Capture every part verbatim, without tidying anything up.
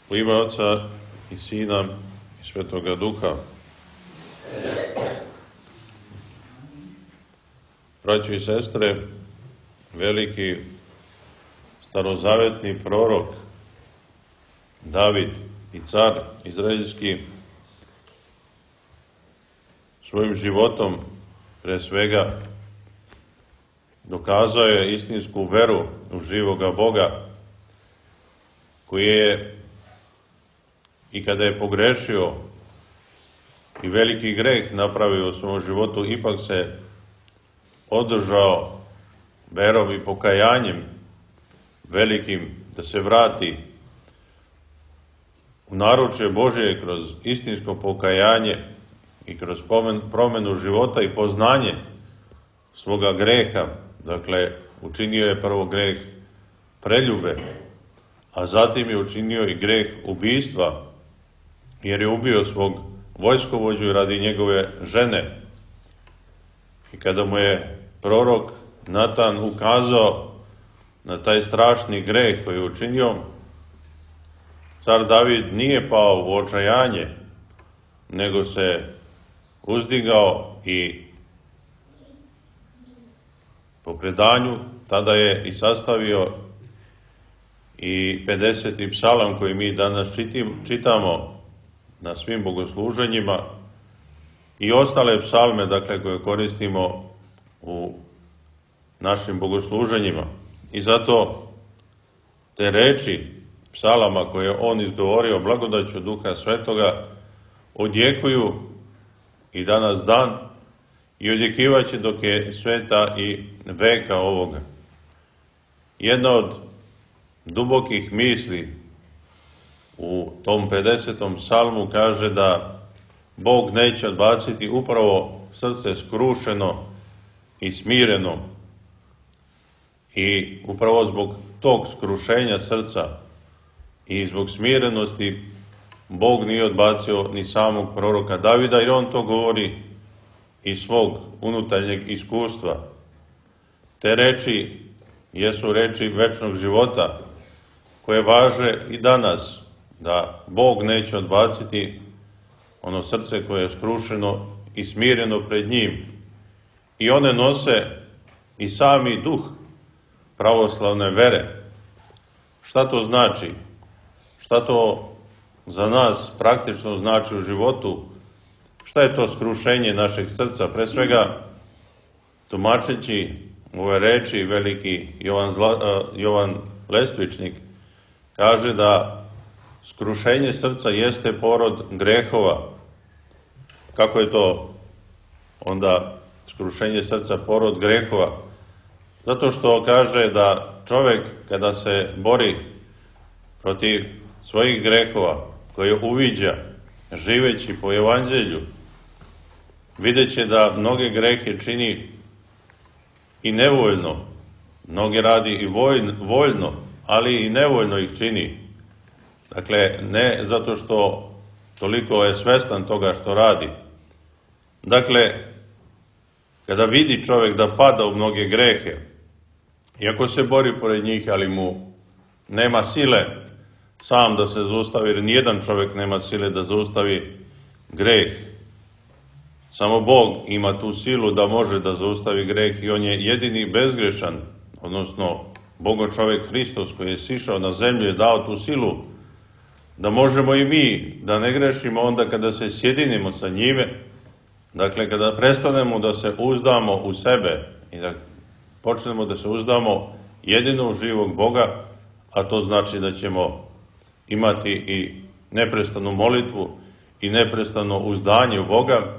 U ime Oca i Sina i Svetoga Duha. Braćo i sestre, veliki starozavetni prorok David i car izraelski svojim životom pre svega dokazao je istinsku veru u živoga Boga, koji je i kada je pogrešio i veliki greh napravio u svom životu, ipak se održao verom i pokajanjem velikim da se vrati u naručje Božje kroz istinsko pokajanje i kroz promenu života i poznanje svoga greha. Dakle, učinio je prvo greh preljube, a zatim je učinio i greh ubistva, jer je ubio svog vojskovođu radi njegove žene. I kada mu je prorok Natan ukazao na taj strašni greh koji je učinio, car David nije pao u očajanje, nego se uzdigao i po predanju tada je i sastavio i pedeseti psalam koji mi danas čitim, čitamo na svim bogosluženjima i ostale psalme, dakle, koje koristimo u našim bogosluženjima. I zato te reči psalama koje on izgovorio blagodaću Duha Svetoga odjekuju i danas dan i odjekivaće dok je sveta i veka ovoga. Jedna od dubokih misli u tom pedesetom psalmu kaže da Bog neće odbaciti upravo srce skrušeno i smireno, i upravo zbog tog skrušenja srca i zbog smirenosti Bog nije odbacio ni samog proroka Davida, jer on to govori iz svog unutarnjeg iskustva. Te reči jesu reči večnog života koje važe i danas, da Bog neće odbaciti ono srce koje je skrušeno i smireno pred njim. I one nose i sami duh pravoslavne vere. Šta to znači? Šta to za nas praktično znači u životu? Šta je to skrušenje našeg srca? Pre svega, tumačeći ove reči, veliki Jovan, Zla, Jovan Lestvičnik kaže da skrušenje srca jeste porod grehova. Kako je to onda skrušenje srca porod grehova? Zato što kaže da čovek kada se bori protiv svojih grehova koje uviđa živeći po evanđelju, videće da mnoge grehe čini i nevoljno, mnoge radi i voljno, ali i nevoljno ih čini. Dakle, ne zato što toliko je svestan toga što radi. Dakle, kada vidi čovjek da pada u mnoge grehe, iako se bori pored njih, ali mu nema sile sam da se zaustavi, jer nijedan čovjek nema sile da zaustavi greh. Samo Bog ima tu silu da može da zaustavi greh i on je jedini bezgrešan, odnosno Bogo čovjek Hristos koji je sišao na zemlju je dao tu silu da možemo i mi da ne grešimo onda kada se sjedinimo sa njime, dakle kada prestanemo da se uzdamo u sebe i da počnemo da se uzdamo jedino u živog Boga, a to znači da ćemo imati i neprestanu molitvu i neprestano uzdanje u Boga.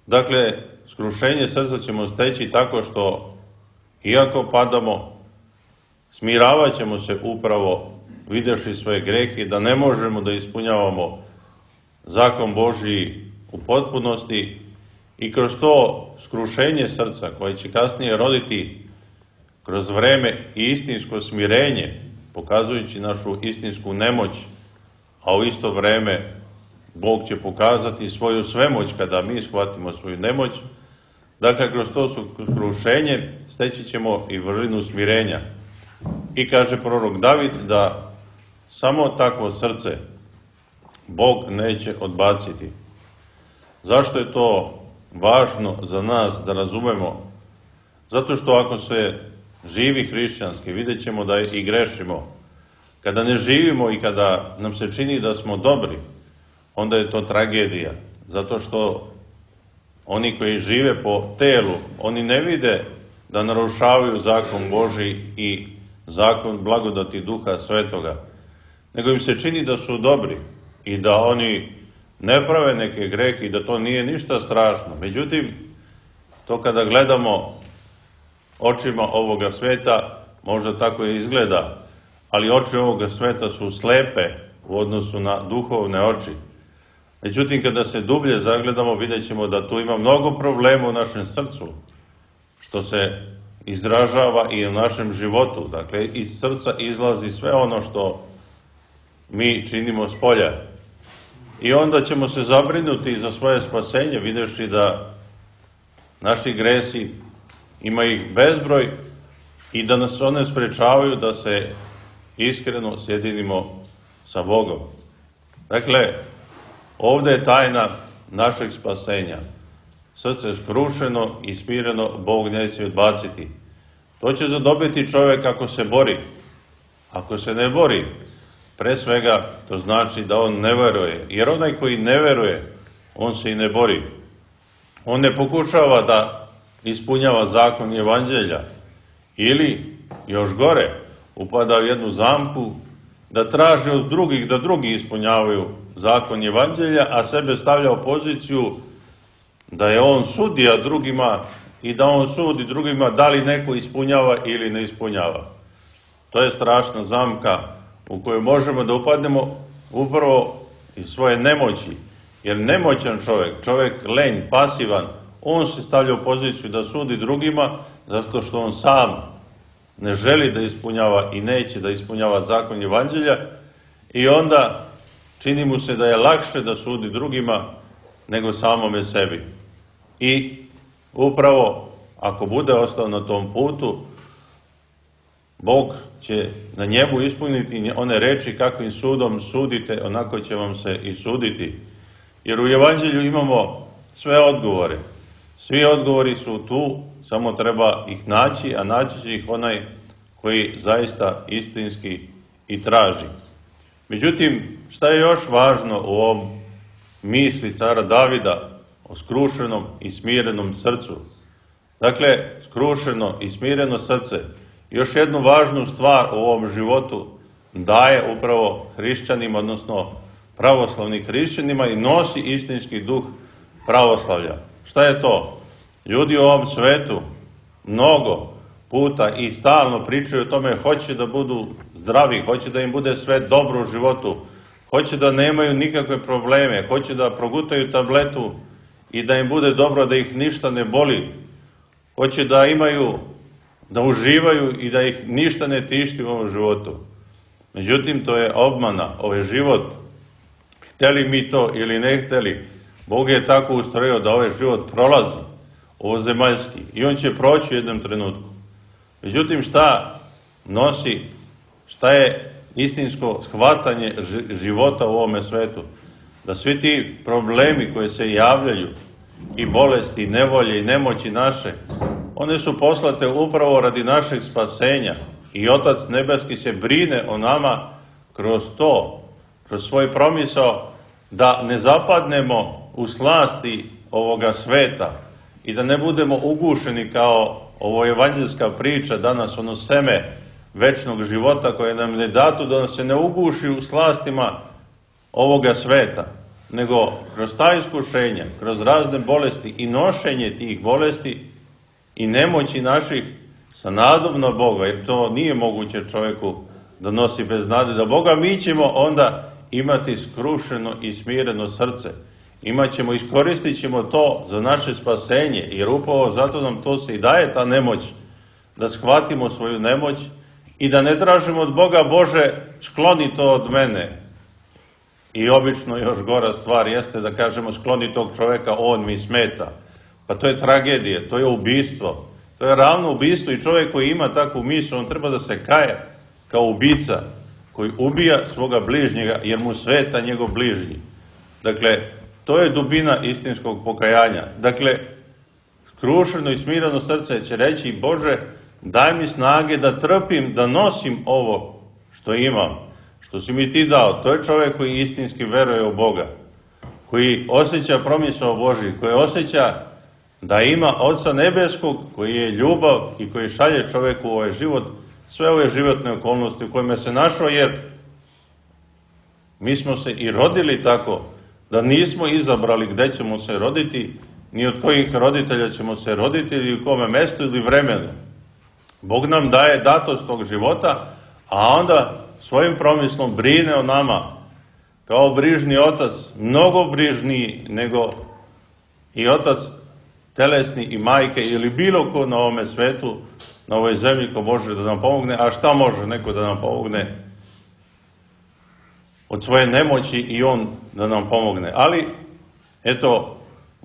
Dakle, skrušenje srca ćemo steći tako što, iako padamo, smiravat ćemo se upravo videvši svoje grehe, da ne možemo da ispunjavamo zakon Božji u potpunosti, i kroz to skrušenje srca koje će kasnije roditi kroz vreme i istinsko smirenje, pokazujući našu istinsku nemoć, a u isto vreme Bog će pokazati svoju svemoć kada mi shvatimo svoju nemoć. Dakle, kroz to skrušenje steći ćemo i vrlinu smirenja. I kaže prorok David da samo takvo srce Bog neće odbaciti. Zašto je to važno za nas da razumemo? Zato što ako se živi hrišćanski, vidjet ćemo da i grešimo. Kada ne živimo i kada nam se čini da smo dobri, onda je to tragedija. Zato što oni koji žive po telu, oni ne vide da narušavaju zakon Božji i zakon blagodati Duha Svetoga, nego im se čini da su dobri i da oni ne prave neke grehe i da to nije ništa strašno. Međutim, to kada gledamo očima ovoga sveta, možda tako i izgleda, ali oči ovoga sveta su slepe u odnosu na duhovne oči. Međutim, kada se dublje zagledamo, vidjet ćemo da tu ima mnogo problema u našem srcu, što se izražava i u našem životu. Dakle, iz srca izlazi sve ono što mi činimo s polja. I onda ćemo se zabrinuti za svoje spasenje, vidjevši da naši gresi, ima ih bezbroj i da nas one sprečavaju da se iskreno sjedinimo sa Bogom. Dakle, ovdje je tajna našeg spasenja. Srce skrušeno i smireno Bog neće odbaciti. To će zadobiti čovjek ako se bori. Ako se ne bori, pre svega to znači da on ne veruje. Jer onaj koji ne veruje, on se i ne bori. On ne pokušava da ispunjava zakon evanđelja. Ili, još gore, upada u jednu zamku da traži od drugih da drugi ispunjavaju zakon evanđelja, a sebe stavlja u poziciju da je on sudija drugima i da on sudi drugima da li neko ispunjava ili ne ispunjava. To je strašna zamka u kojoj možemo da upadnemo upravo iz svoje nemoći. Jer nemoćan čovjek, čovjek lenj, pasivan, on se stavlja u poziciju da sudi drugima zato što on sam ne želi da ispunjava i neće da ispunjava zakon evanđelja i onda čini mu se da je lakše da sudi drugima nego samome sebi. I upravo ako bude ostao na tom putu, Bog će na njemu ispuniti one reči kakvim sudom sudite, onako će vam se i suditi. Jer u evanđelju imamo sve odgovore. Svi odgovori su tu, samo treba ih naći, a naći će ih onaj koji zaista istinski i traži. Međutim, šta je još važno u ovom misli cara Davida o skrušenom i smirenom srcu? Dakle, skrušeno i smireno srce još jednu važnu stvar u ovom životu daje upravo hrišćanima, odnosno pravoslavnim hrišćanima i nosi istinski duh pravoslavlja. Šta je to? Ljudi u ovom svetu mnogo puta i stalno pričaju o tome, hoće da budu zdravi, hoće da im bude sve dobro u životu, hoće da nemaju nikakve probleme, hoće da progutaju tabletu i da im bude dobro, da ih ništa ne boli, hoće da imaju, da uživaju i da ih ništa ne tišti u ovom životu. Međutim, to je obmana, ovaj život, hteli mi to ili ne hteli, Bog je tako ustrojio da ovaj život prolazi, ovozemaljski, i on će proći u jednom trenutku. Međutim, šta nosi, šta je istinsko shvatanje života u ovome svetu? Da svi ti problemi koji se javljaju, i bolesti, i nevolje, i nemoći naše, one su poslate upravo radi našeg spasenja. I Otac Nebeski se brine o nama kroz to, kroz svoj promisao, da ne zapadnemo u slasti ovoga sveta i da ne budemo ugušeni kao ovo evanđelska priča danas, ono seme večnog života koje nam ne datu, da nas se ne uguši u slastima ovoga sveta, nego kroz ta iskušenja, kroz razne bolesti i nošenje tih bolesti i nemoći naših sa nadom na Boga, jer to nije moguće čovjeku da nosi bez nade da Boga, mi ćemo onda imati skrušeno i smireno srce. Imaćemo, iskoristit ćemo to za naše spasenje, jer upravo zato nam to se i daje ta nemoć, da shvatimo svoju nemoć i da ne tražimo od Boga, Bože, skloni to od mene. I obično još gora stvar jeste da kažemo skloni tog čovjeka, on mi smeta. Pa to je tragedija, to je ubistvo. To je ravno ubistvo i čovjek koji ima takvu misao, on treba da se kaje kao ubica koji ubija svoga bližnjega jer mu sveta njegov bližnji. Dakle, to je dubina istinskog pokajanja. Dakle, skrušeno i smireno srce će reći: Bože, daj mi snage da trpim, da nosim ovo što imam, što si mi ti dao. To je čovjek koji istinski veruje u Boga, koji osjeća promisao Božji, koji osjeća da ima Oca nebeskog, koji je ljubav i koji šalje čovjeku u ovaj život, sve ove životne okolnosti u kojima se našao, jer mi smo se i rodili tako da nismo izabrali gde ćemo se roditi, ni od kojih roditelja ćemo se roditi, ili u kome mestu ili vremenu. Bog nam daje datost tog života, a onda svojim promislom brine o nama, kao brižni otac, mnogo brižniji nego i otac telesni i majke ili bilo ko na ovome svetu, na ovoj zemlji ko može da nam pomogne. A šta može neko da nam pomogne? Od svoje nemoći i on da nam pomogne. Ali, eto,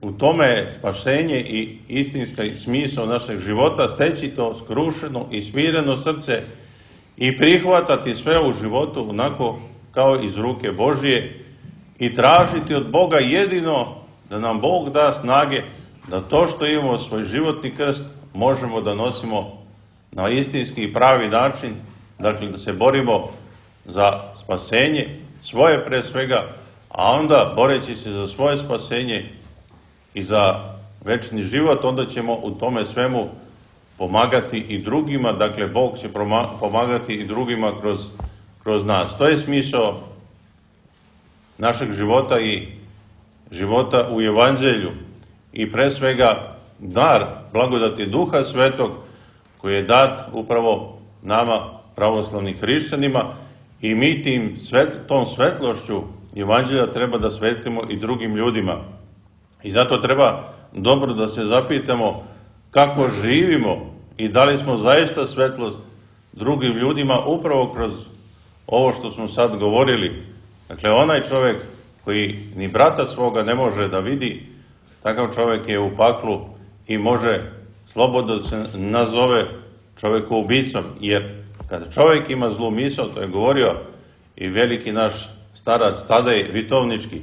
u tome je spasenje i istinski smisao našeg života, steći to skrušeno i smireno srce i prihvatati sve u životu onako kao iz ruke Božije i tražiti od Boga jedino da nam Bog da snage da to što imamo svoj životni krst možemo da nosimo na istinski i pravi način, dakle da se borimo za spasenje, svoje pre svega, a onda boreći se za svoje spasenje i za večni život, onda ćemo u tome svemu pomagati i drugima, dakle Bog će pomagati i drugima kroz, kroz nas. To je smisao našeg života i života u Evanđelju i pre svega dar blagodati Duha Svetog koji je dat upravo nama pravoslavnim hrišćanima i mi tim svet, tom svetlošću Evanđelja treba da svetlimo i drugim ljudima. I zato treba dobro da se zapitamo kako živimo i da li smo zaista svetlost drugim ljudima upravo kroz ovo što smo sad govorili. Dakle, onaj čovjek koji ni brata svoga ne može da vidi, takav čovjek je u paklu i može slobodno da se nazove čovjekoubicom, jer kada čovjek ima zlu misao, to je govorio i veliki naš starac Tadej Vitovnički,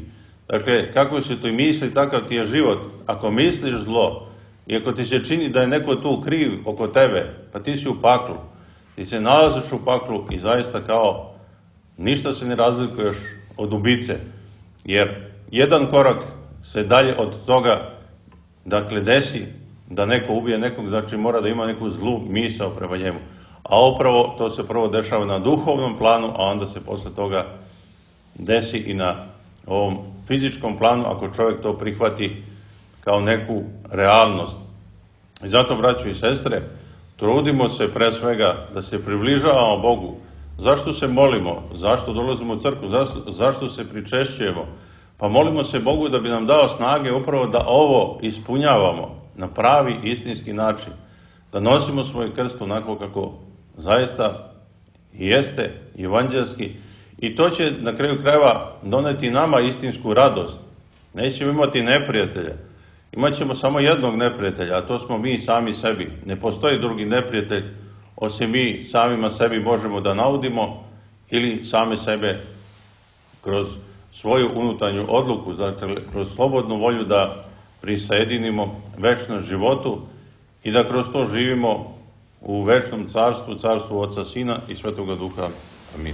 dakle, kako se to i misli, takav ti je život. Ako misliš zlo i ako ti se čini da je neko tu kriv oko tebe, pa ti si u paklu, ti se nalaziš u paklu i zaista kao ništa se ne razlikuješ od ubice, jer jedan korak se dalje od toga, dakle, desi da neko ubije nekog, znači mora da ima neku zlu misao prema njemu. A upravo to se prvo dešava na duhovnom planu, a onda se posle toga desi i na ovom fizičkom planu, ako čovjek to prihvati kao neku realnost. I zato, braćo i sestre, trudimo se pre svega da se približavamo Bogu. Zašto se molimo? Zašto dolazimo u crkvu? Zašto se pričešćujemo? Pa molimo se Bogu da bi nam dao snage upravo da ovo ispunjavamo na pravi istinski način. Da nosimo svoj krst onako kako zaista jeste evanđelski. I to će na kraju krajeva doneti nama istinsku radost. Nećemo imati neprijatelja. Imaćemo samo jednog neprijatelja, a to smo mi sami sebi. Ne postoji drugi neprijatelj, osim mi samima sebi možemo da naudimo ili same sebe kroz svoju unutarnju odluku, dakle kroz slobodnu volju da prisajedinimo večnom životu i da kroz to živimo u večnom carstvu, carstvu Oca, Sina i Svetoga Duha. Amin.